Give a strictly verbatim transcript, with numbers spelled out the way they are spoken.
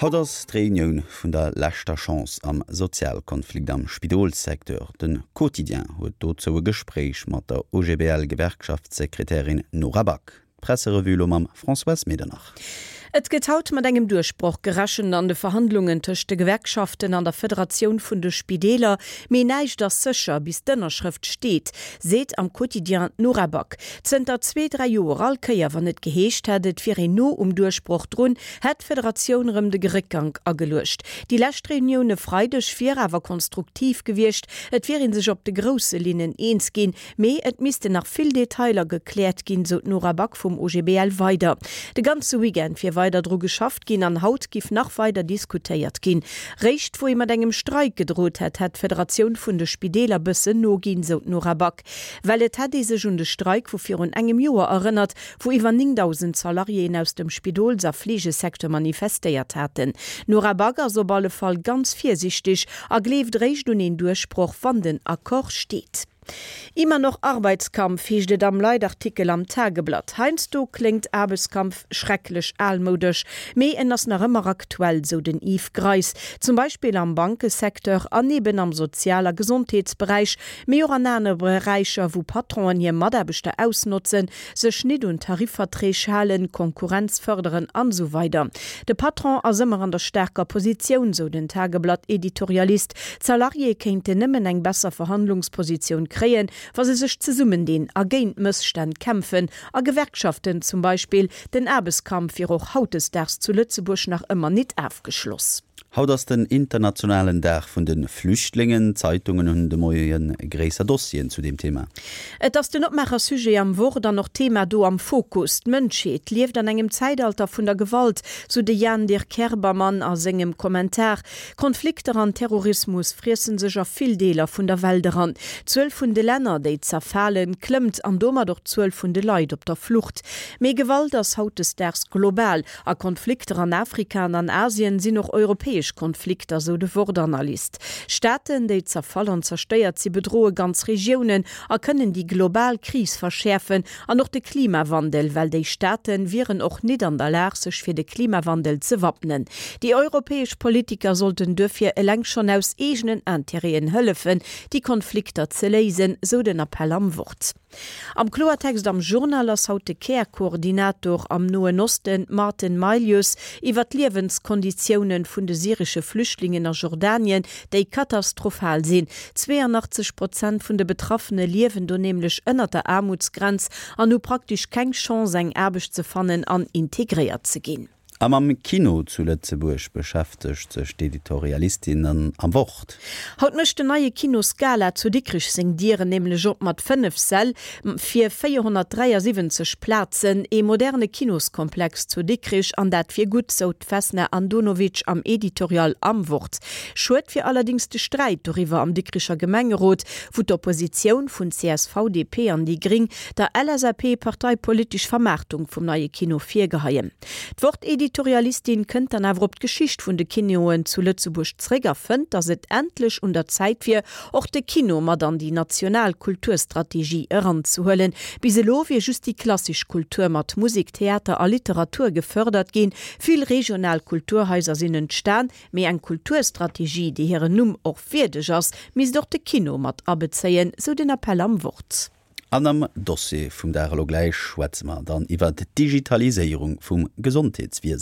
Haut ass d'Reunioun vun der leschter Chance am Sozialkonflikt am Spidolssecteur. De Quotidien huet dozou e Gespréich mat der O G B L-Gewerkschaftssekretärin Nora Back. D'Presserevue lo mam Françoise Medernach. Et gëtt haut mat engem Duerchbroch gerechent an de Verhandlungen tëscht de Gewerkschaften an der Federatioun vun de Spideeler, mee näischt ass sécher, bis d'Ënnerschrëft steet, seet am Quotidien d'Nora Back. Zënter zwee, dräi Joer all Kéier, wann et geheescht hätt, et wier een no um Duerchbroch drun, hätt d'Federatioun rëm de Réckgank ageluecht. Déi lescht Reunioun e Freideg wier awer konstruktiv gewiescht, et wier ee sech op de grousse Linnen eens ginn, mee et missten nach vill Detailer gekläert ginn, sou d'Nora Back vum O G B L weider. De ganze Weekend wier weider dru geschafft ginn an haut giff nach weider diskutéiert ginn. Réischt wou ee mat engem Streik gedrot hätt, hätt d'Federatioun vun de Spideeler bëssen noginn, sou d'Nora Back. Well et hätt ee sech un de Streik vu virun engem Joer erënnert, wou iwwer néngdausend Salariéen aus dem Spidols a Fleegesecteur manifestéiert haten. D'Nora Back ass op alle Fall ganz virsiichteg a gleeft réischt un een Duerchbroch, wann den Accord steet. Immer noch Arbeitskampf, heescht et am Leitartikel am Tageblatt. Heiansdo kléngt Aarbechtskampf schrecklech almoudesch, mee en ass nach ëmmer aktuell, sou den Yves Greis. Zum Beispill am Bankesecteur an eben am Sozial- a Gesondheetsberäich, mee och an anere Beräicher, wou Patronen hir Mataarbechter ausnotzen, sech net un Tarifverträg halen, Konkurrenz fërderen an esou weider. De Patron ass ëmmer an der staarker Positioun, sou den Tageblatt-Editorialist. D'Salariéë kéinten nëmmen eng besser Verhandlungspositioun kréien, wa se sech zesummendinn a géint Mësstänn kämpfen a Gewerkschaften zum Beispill. Den Aarbechtskampf wier och hautdesdaags zu Lëtzebuerg nach ëmmer net ofgeschloss. Haut ass den internationalen Dag vun de Flüchtlingen. D'Zeitungen hunn de Moie gréisser Dossieren zu deem Thema. Et ass den Opmaacher-Sujet am Wort an och Thema do am Fokus. D'Mënschheet lieft an engem Zäitalter vun der Gewalt, sou de Jan Dirk Kerbermann a sengem Kommentar. Konflikter an Terrorismus friessen sech a vill Deeler vun der Welt eran. D'Zuel vun de Länner, déi zerfalen, klëmmt an domat och d'Zuel vun de Leit op der Flucht. Mee Gewalt ass hautdesdaags global a Konflikter an Afrika an an Asien sinn och europäesch Konflikter, sou de Wort-Analyst. Staaten, déi zerfall an zerstéiert sinn, bedroe ganz Regiounen a kënnen déi global Kris verschäerfen an och de Klimawandel, well déi Staate wieren och net an der Lag, sech fir de Klimawandel ze wappnen. Déi europäesch Politiker sollten duerfir eleng schonn aus eegenen Interêten hëllefen, déi Konflikter ze léisen, sou den Appell am Wort. Am Kloertext am Journal ass haut de Care-Koordinator am Noen Osten Martin Mailius iwwer d'Liewenskonditioune vun de syresche Flüchtlingen a Jordanien, déi katastrophal sinn. zweeanachtzeg Prozent vun de Betraffene liewen do nämlech ënner der Aarmutsgrenz an hu praktesch keng Chance eng Aarbecht ze fannen an integréiert ze ginn. A mam Kino zu Lëtzebuerg beschäftegt sech d'Editorialistin am Wort. Haut mécht den neie Kino Scala zu Dikrech seng Dieren nämlech op mat fënnef Säll fir véierhonnertdräiasiwwenzeg Plazen, ee moderne Kinoskomplex zu Dikrech an dat fir gutt, sou d'Vesna Andonovic am Editorial am Wort. Schued wier allerdéngs de Sträit doriwwer am Dikricher Gemengerot, wou d'Oppositioun vun C S V, D P an déi Gréng der L S A P parteipolitesch Vermaartung vum neie Kino virgeheien. D'Wort-Editorialistin kënnt dann awer op d'Geschicht vun de Kinoen zu Lëtzebuerg zréck a fënnt, datt et endlech un der Zäit wier, och de Kino mat an déi national Kulturstrategie eranzehuelen. Bis elo wier just déi klassesch Kultur mat Musek, Theater a Literatur gefërdert ginn. Vill regional Kulturhaiser sinn entstan, mee eng Kulturstrategie, déi hirem Numm och wierdeg ass, misst och de Kino mat abezéien, sou den Appell am Wort. An am Dossier vum Dag elo gläich schwätze mer dann iwwer d'Digitaliséierung vum Gesondheetswiesen.